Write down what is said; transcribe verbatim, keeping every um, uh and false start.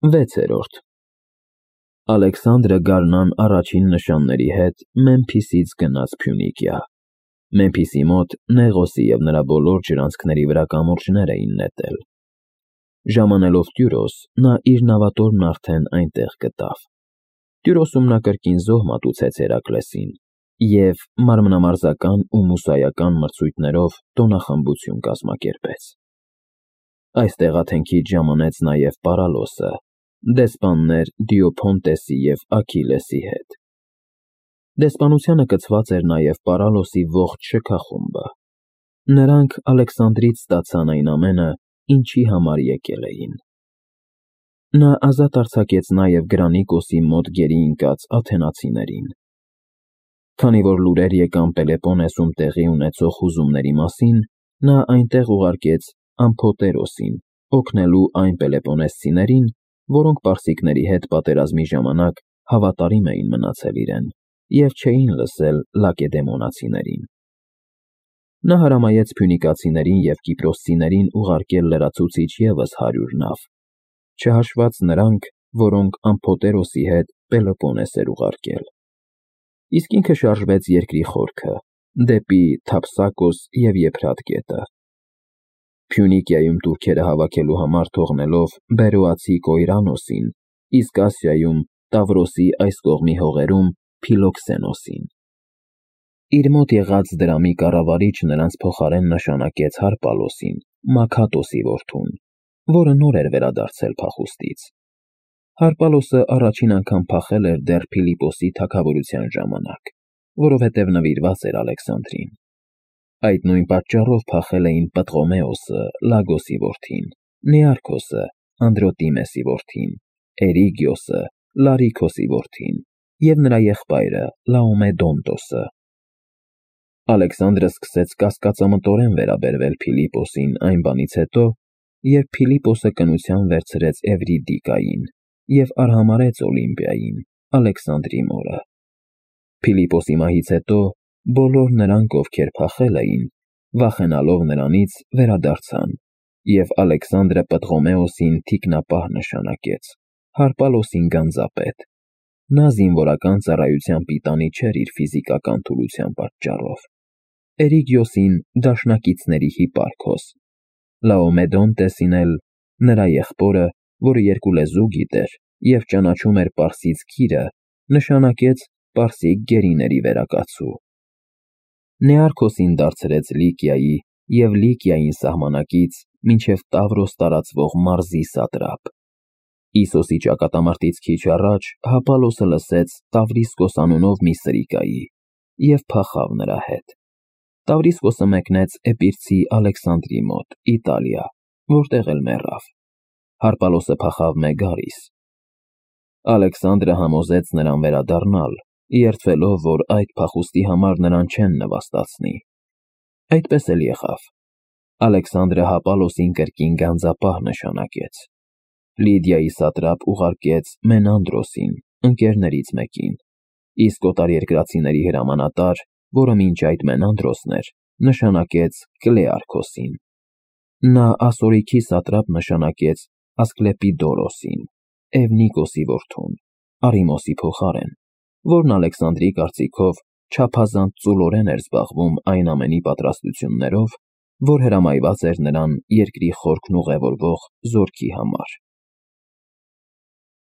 վեցերորդ Ալեքսանդրը գարնան առաջին նշանների հետ Մեմփիսից գնաց Փյունիկիա։ Մեմփիսի մոտ Նեղոսի և նրա բոլոր ջրանցքների վրա կամուրջներ էին նետել։ Ժամանելով Տյուրոս, նա իր նավատորմն արդեն այնտեղ գտավ։ Տյուրոսում նա կրկին զոհ մատուցեց Հերակլեսին և մարմնամարզական ու մուսայական մրցույթներով տոնախմբություն կազմակերպեց։ Այստեղ աթենքից ժամանեց նաև Պարալոսը, դեսպաններ Դիոփոնտեսի և Աքիլեսի հետ։ Դեսպանությանը կցված էր նաև Պարալոսի ողջ շքախումբը։ Նրանք Ալեքսանդրից ստացան այն ամենը, ինչի համար եկել էին։ Նա ազատ արձակեց նաև Գրանիկոսի մոտ գերի ընկած աթենացիներին։ Քանի որ լուրեր եկան Պելեպոնեսում տեղի ունեցող հուզումների մասին, նա այնտեղ ուղարկեց Ամփոտերոսին, օգնելու այն պելեպոնեսցիներին, որոնք պարսիկների հետ պատերազմի ժամանակ հավատարիմ էին մնացել իրեն և չէին լսել լակեդեմոնացիներին։ Նա հրամայեց փյունիկացիներին և կիպրոսցիներին ուղարկել լրացուցիչ ևս հարյուր նավ, չհաշված նրանք, որոնք Ամփոտերոսի հետ Պելոպոնես էր ուղարկել։ Իսկ ինքը շարժվեց երկրի խորքը, դեպի Թափսակոս և Եփրատ գետը։ Փյունիկիայում տուրքերը հավաքելու համար թողնելով Բերոացի Կոյրանոսին, իսկ Ասիայում Տավրոսի այս կողմի հողերում Փիլոքսենոսին։ Իր մոտ եղած դրամի կառավարիչ նրանց փոխարեն նշանակեց Հարպալոսին, Մաքաթոսի որդուն, որը նոր էր վերադարձել փախուստից։ Հարպալոսը առաջին անգամ փախել էր դեռ Փիլիպոսի թագավորության ժամանակ, որովհետև նվիրված էր Ալեքսանդրին։ Այդ նույն պատճառով փախել էին Պտղոմեոսը, Լագոսի որդին, Նեարքոսը, Անդրոտիմեսի որդին, Էրիգիոսը, Լարիքոսի որդին և նրա եղբայրը Լաոմեդոնտոսը։ Ալեքսանդրը սկսեց կասկածամտորեն վերաբերվել Փիլիպոսին այն բանից հետո, երբ Փիլիպոսը կնության վերցրեց Էվրիդիկային և արհամարհեց Օլիմպիային, Ալեքսանդրի մորը։ Փիլիպոսի մահից հետո բոլոր նրանք, ովքեր փախել էին, վախենալով նրանից, վերադարձան, և Ալեքսանդրը Պտղոմեոսին թիկնապահ նշանակեց, Հարպալոսին գանձապետ։ Նա զինվորական ծառայության պիտանի չէր իր ֆիզիկական թուլության պատճառով։ Էրիգիոսին դաշնակիցների հիպարքոս, Լաոմեդոնտեսին էլ նրա եղբորը, որը երկու լեզու գիտեր և ճանաչում էր պարսից գիրը, նշանակեց պարսիկ գերիների վերակացու։ Նեարքոսին դարձրեց Լիկիայի և Լիկիային սահմանակից մինչև Տավրոս տարածվող մարզի սատրապ։ Իսոսի ճակատամարտից քիչ առաջ Հապալոսը լսեց Տավրիսկոս անունով մի սրիկայի և փախավ նրա հետ։ Տավրիսկոսը մեկնեց Էպիրցի Ալեքսանդրի մոտ, Իտալիա, որտեղ էլ մեռավ։ Հարպալոսը փախավ Մեգարիս։ Ալեքսանդրը համոզեց նրան վերադառնալ, երդվելով, որ այդ փախուստի համար նրան չեն նվաստացնի։ Այդպես էլ եղավ։ Ալեքսանդրը Հապալոսին կրկին գանձապահ նշանակեց։ Լիդիայի սատրապ ուղարկեց Մենանդրոսին, ընկերներից մեկին, իսկ օտարերկրացիների հրամանատար, որը մինչ այդ Մենանդրոսն էր, նշանակեց Կլեարքոսին։ Նա ասորիքի սատրապ նշանակեց Ասկլեպիդորոսին, Էվնիկոսի որդուն, Արիմոսի փոխարեն, որն Ալեքսանդրի կարծիքով չափազանց ծուլորեն էր զբաղվում այն ամենի պատրաստություններով, որ հրամայված էր նրան երկրի խորքն ուղևորվող զորքի համար։